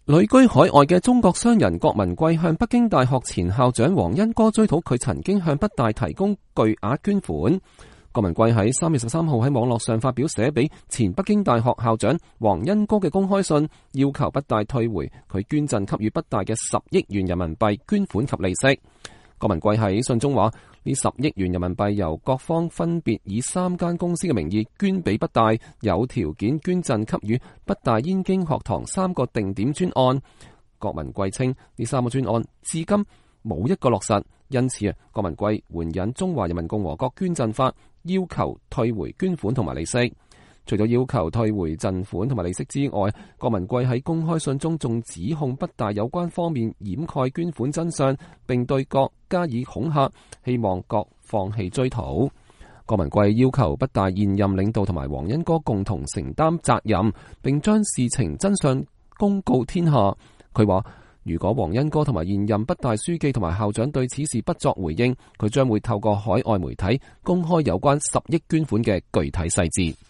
旅居海外嘅中國商人郭文貴向北京大學前校長黃恩歌追討佢曾經向北大提供巨額捐款。郭文貴喺3月13號喺網絡上發表寫俾前北京大學校長黃恩歌嘅公開信，要求北大退回佢捐贈給予北大嘅10億元人民幣捐款及利息。郭文貴喺信中話，呢10億元人民幣由各方分別以3間公司嘅名義捐俾北大，有條件捐贈給予北大燕京學堂3個定點專案。郭文貴稱呢3個專案至今冇一個落實，因此郭文貴援引中華人民共和國捐贈法，要求退回捐款同埋利息。除咗要求退回贈款同埋利息之外，郭文貴喺公開信中仲指控北大有關方面掩蓋捐款真相，並對各加以恐嚇，希望各放棄追討。郭文貴要求北大現任領導同埋黃恩歌共同承擔責任，並將事情真相公告天下。佢話，如果黃恩歌同埋現任北大書記同埋校長對此事不作回應，佢將會透過海外媒體公開有關10億捐款嘅具體細節。